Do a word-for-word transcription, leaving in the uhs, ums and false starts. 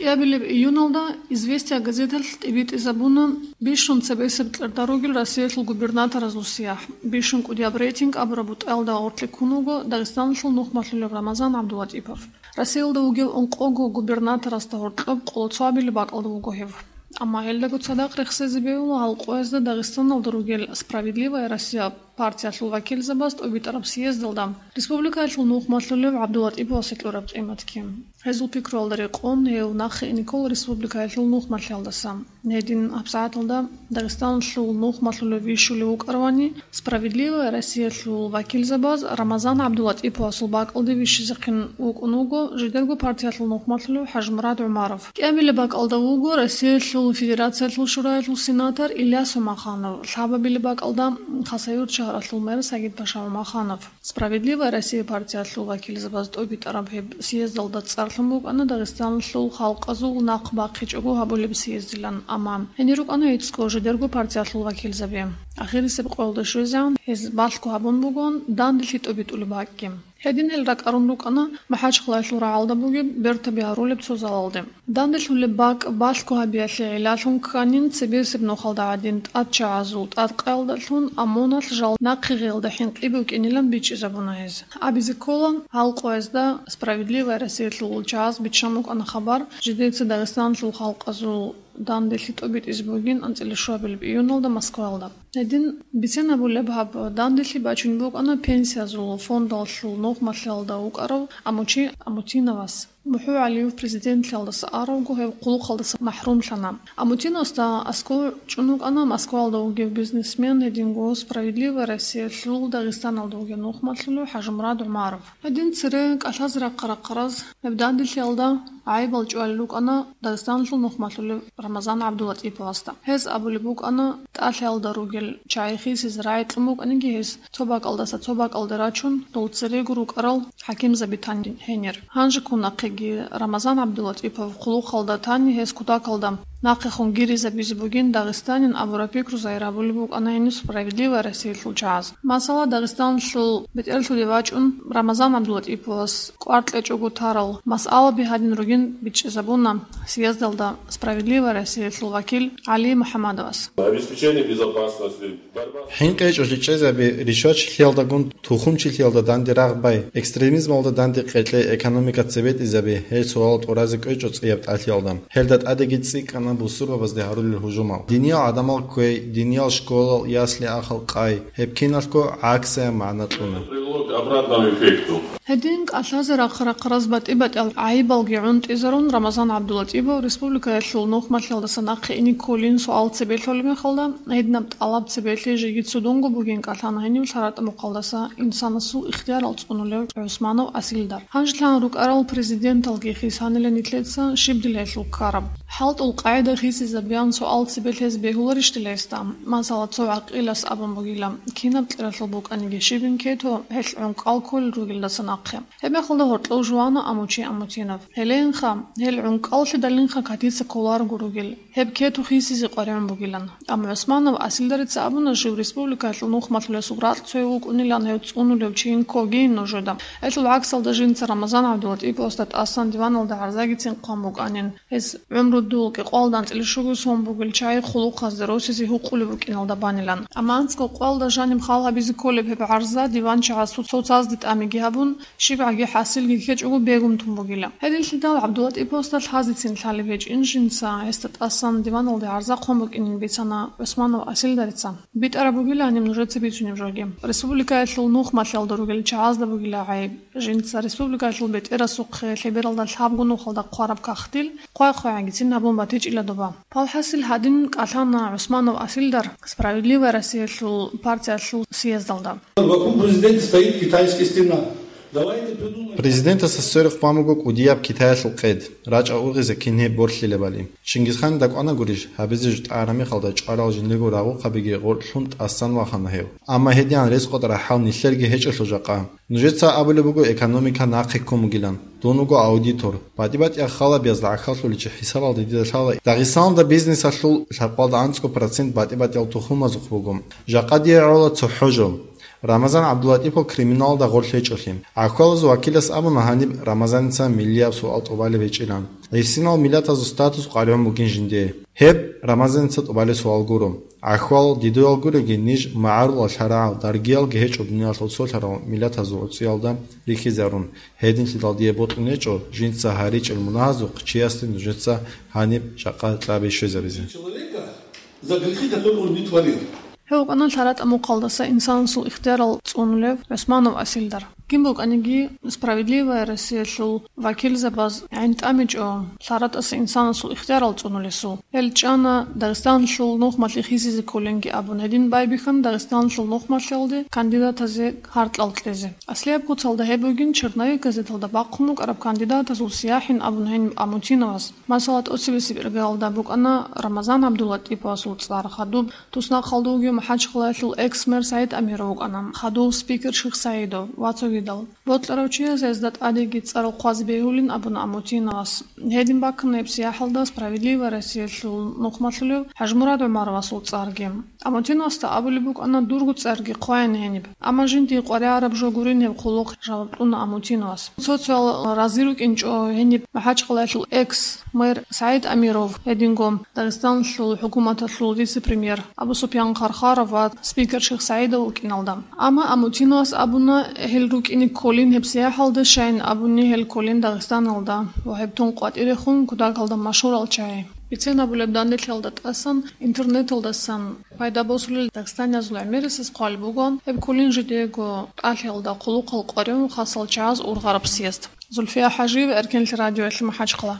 КӀиабилеб июналда «Известия» газеталъ тӀибитӀизабуна бищун цебесеб кьерда ругел Россиялъул губернаторазул сияхӀ. Бищун кӀудияб рейтинг абураб бутӀаялда гъоркье ккун вуго Дагъистаналъул нухмалъулев Рамазан ГӀабдулатӀипов. Россиялда вугев ункъого губернаторасда гьоркьоб къоло цоабилеб бакӀалда вуго гьев. Амма гьелдаго цадахъ рехсезе бегьула гьалкъоязда Дагъистаналда ругел «Справедливая Россия» партиялъул вакилзабаз тӀубитӀараб съездалда республикаялъул нухмалъулев ГӀабдулатӀиповасе кьураб къиматги. Гьезул пикруялда рекъон, гьев нахъе ине ккола республикаялъул нухмалъиялдаса. Гьедин гьабсагӀаталда Дагъистаналъул нухмалъулев вищулев вукӀаравани, «Справедливая Россиялъул» вакилзабаз Рамазан ГӀабдулатӀиповасул бакӀалде вищизехъин вукӀун вуго жидерго партиялъул нухмалъулев ХӀажмурад ГӀумаров. КӀиабилеб бакӀалда вуго Россиялъул Федерациялъул Шураялъул сенатор Ильяс Умаханов, лъабабилеб бакӀалда Хасавюрт шагьаралъул мэр Сагидпаша Умаханов. «Справедливая Россия» партиялъул вакилзабаз тӀубитӀараб гьеб съездалда цӀарлъун букӀана Дагъистаналъул халкъазул нахъ бахъичӀого гьабулеб съездилан, амма гьенир рукӀана гӀицӀго жидерго партиялъул вакилзаби. Ахирисеб къоялда щвезегӀан гьез балъго гьабун бугон данделъи тӀубитӀулеб бакӀги. Гьедин гьел ракӀарун рукӀана МахӀачхъалаялъул рагӀалда бугеб бертаби гьарулеб цо залалде. Данделъулеб бакӀ балъго гьабиялъе гӀиллалъун кканин, цебесеб нухалда гӀадин тӀадчагӀазул тӀадкъаялдалъун ОМОНалъ жал нахъе гъелда хӀинкъи букӀинилан бичӀчӀизабуна гьез. Абизе ккола, гьалкъоязда «Справедливая Россиялъул» чагӀаз биччан букӀана хабар, жидеца Дагъистаналъул халкъазул данделъи тӀубитӀизе бугин анцӀила щуабилеб июналда Москваялда. Гьедин бицен абулеб, гьаб данделъи бачун букӀана пенсиязул фондалъул нухмалъиялда вукӀарав Амучи Амутиновас. МухӀу ГӀалиев президентлъиялдаса аравго гьев хъулухъалдаса махӀрумлъана. Амутиновасда аскӀов чӀун вукӀана Москваялда вугев бизнесмен, гьединго «Справедливая Россиялъул» Дагъистаналда вугев нухмалъулев ХӀажмурад ГӀумаров. Гьедин цере кӀалъазе рахъа-рахъараз гьеб данделъиялда гӀайибал чӀвалел рукӀана Дагъистаналъул нухмалъулев Рамазан ГӀабдулатӀиповасда. Гьез абулеб букӀана, тӀалъиялда ругел чагӀи хисизе рагӀи кьун букӀаниги гьес, цо бакӀалдаса цо бакӀалде рачун, дол церего рукӀарал хӀакимзаби тани гьенир. Гьанжеккун нахъеги Рамазан ГӀабдулатӀипов хъулухъалда тани гьес кутакалда нахъехун гиризабизе бугин Дагъистанин абураб пикру загьир гьабулеб букӀана гьениб «Справедливая Россиялъул» чагӀаз. Масала, Дагъистаналъул бетӀерлъуде вачӀун Рамазан ГӀабдулатӀиповас кӀвар кьечӀого тарал масъалаби гьадин ругин бичӀчӀизабуна съездалда «Справедливая Россиялъул» вакил ГӀали МухӀамадовас. Обеспечение безопасности, борьба с ХӀинкъичӀолъи чӀезаби, ришвачилъиялдагун тухумчилъиялда данде рагъ бай, экстремизмалда данде къекълъи, экономика цебетӀизаби, гьел суалал тӀуразе кӀвечӀо цӀияб тӀалъиялда. Гьелда тӀадеги цӀикӀкӀана бусурбабазде гьарулел гьужумал. Диниял гӀадамал кквей, диниял школал, ясли-ахал къай, гьеб киналго гӀаксаяб магӀна кьуна. Привело к обратному эффекту. Гьедин кӀалъазе рахъа-рахъараз батӀи-батӀиял гӀайибалги гӀунтӀизарун, Рамазан ГӀабдулатӀипов республикаялъул нухмалъиялдаса нахъе ине кколин суал цебе лъолеб мехалда, гьединаб тӀалаб цебелъи жеги цудунго бугин кӀалъана гьенив лъаратӀа мухъалдаса инсанасул ихтиярал цӀунулев ГӀусманов Асилдар. Гьанжелъан рукӀарал президенталги хисанила нилъеца щиб дила гьелъул ккараб. ХӀалтӀул къагӀида хисизабиян суал цебе лъезе бегьуларищ дила гьесда? Масала, цо гӀакъилас абун бугила, кинаб кьералъул букӀаниги щибин кето, гьелъ гӀункӀкӀал кколел ругелдаса нахъе. Гьебмехалда гьоркьов жувана Амучи Амутинов. Гьелейинха, гьел гӀункӀкӀаллъидалинха катица кколарого ругел. Гьеб кету хисизе къваригӀун бугилан. Амма ГӀусманов Асилдарица абуна жив республикаялъул нухмалъулесул ракь цояв вукӀунилан гьев цӀунулев чи инкогин нужеда. Гьелъул гӀаксалда жинца Рамазан ГӀабдулатӀиповасда тӀасан диваналда гӀарзагицин хъван букӀанин. Гьес гӀумрудул кӀикъвалда анцӀила щуго сон бугел чагӀи хъулухъазде росизе гьукъулеб букӀиналда банилан. Амма анцӀго къвалда жаниб хал гьабизе кколеб гьеб гӀарза диванчагӀаз цо-, цоцазде тӀамиги гьабун, щибгӀаги хӀасилги ккечӀого бегун тун бугила. Гьединлъидал ГӀабдулатӀиповасда лъазецин лъалеб гьечӀин жинца гьесда тӀасан диваналде гӀарза хъван букӀинин бицана ГӀусманов Асилдарица. БитӀараб бугиланин нужеца бицунеб жоги. Республикаялъул нухмалъиялда ругел чагӀазда бугила гӀайиб. Жинца республикаялъул бетӀерасухъе лъебералда лъабго нухалда хъвараб кагътил хъвай-хъвайгӀагицин гьабун батичӀила доба. Палхасил гьадин кӀалъана ГӀусманов Асилдар «Справедливая Россиялъул» партиялъул съездалда. Вокруг президента стоит китайская стена. Давайте придумаем. Президентасда сверухъ бан буго кӀудияб Китаялъул къед. РачӀа ургъизе кин гьеб борлъилебали. Чингизханил дакӀана гурищ, гьабизе жо тӀагӀараб мехалда чӀварал жиндирго рагъухъабиги гъоркьлъун тӀасан вахана гьев. Амма гьедигӀан рес къотӀараб хӀал нилъерги гьечӀелъул жакъа. Нужеца абулеб буго экономика нахъе ккун бугилан. Дун вуго аудитор. БатӀи-батӀиял халабияз гӀахьаллъуличи хӀисабалда дида лъала, Дагъистаналда бизнесалъул лъабкъоялда анцӀго процент батӀи-батӀиял тухумазухъ буго. Жакъа дие гӀола цохӀо жо. Рамазан ГӀабдуллатӀипов криминалалда гъорлъ гьечӀолъи. ГӀахьалазул вакилас абуна гьаниб Рамазаница миллияб суал тӀубалеб гьечӀилан. ГӀисинал миллатазул статус къваригӀун бугин жиндие. Гьеб Рамазаница тӀубалеб суал гуро. ГӀахьал дидуял гуреги, ниж магӀарулал лъарагӀал, даргиялги гьечӀо дуниялалъул цолъарал миллатазул гӀуцӀиялда рихьизарун. Гьединлъидал дие бокьун гьечӀо жинца гьаричӀел мунагьазухъ чиясде нужеца гьаниб жакъа кьаби щвезабизе. Человека за грехи, которые он не творил. Гьев вукӀана лъаратӀа мухъалдаса инсанасул ихтиярал цӀунулев ГӀусманов Асилдар. Кин букӀаниги, «Справедливая Россиялъул» вакилзабаз гӀин тӀамичӀо лъаратӀаса инсанасул ихтиярал цӀунулесул. Гьел чӀана Дагъистаналъул нухмалъи хисизе кколинги абун, гьедин байбихьана Дагъистаналъул нухмалъиялде кандидатазе гьаркьал кьезе. Аслияб куцалда гьеб бугин черновик газеталда бахъун букӀараб кандидатазул сияхӀин абун гьениб Амутиновас. Масала, тӀоцебесеб иргаялда букӀана Рамазан ГӀабдуллатӀиповасул цӀар, хадуб туснахъалда вугев МахӀачхъалаялъул экс-мэр СагӀид Амиров вукӀана, хадув спикер Шихсаидов ва цогидал. Бокьарав чияс гьезда тӀадеги цӀар хъвазе бегьулин абуна Амутиновас. Гьедин баккана гьеб сияхӀалда «Справедливая Россиялъул» нухмалъулев ХӀажмурад ГӀумаровасул цӀарги. Амутиновасда абулеб букӀана дурго цӀарги хъваян гьениб. Амма жиндие къваригӀараб жо гурин гьеб хъулухъ жаваб кьуна Амутиновас. Цо-цоял рази рукӀинчӀо гьениб МахӀачхъалаялъул экс-мэр СагӀид Амиров, гьединго Дагъистаналъул хӀукуматалъул вице-премьер Абу-Супьян Хархаров ва спикер Шихсаидов вукӀиналда. Амма Амутиновас абуна, гьел рукӀине кколин гьеб сияхӀалда, щайин абуни гьел кколин Дагъистаналда ва гьеб тун къватӀирехун кутакалда машгьурал чагӀи. Бицен абулеб, данделъиялда тӀасан интернеталдасан пайда босулел дагъистаниязул гӀемерисез хъвалеб бугоан, гьеб кколин жидеего тӀалъиялда хъулухъал къваригӀун хасал чагӀаз ургъараб съезд. Зульфия ХӀажиева, Эркенлъи радиоялъ, МахӀачхъала.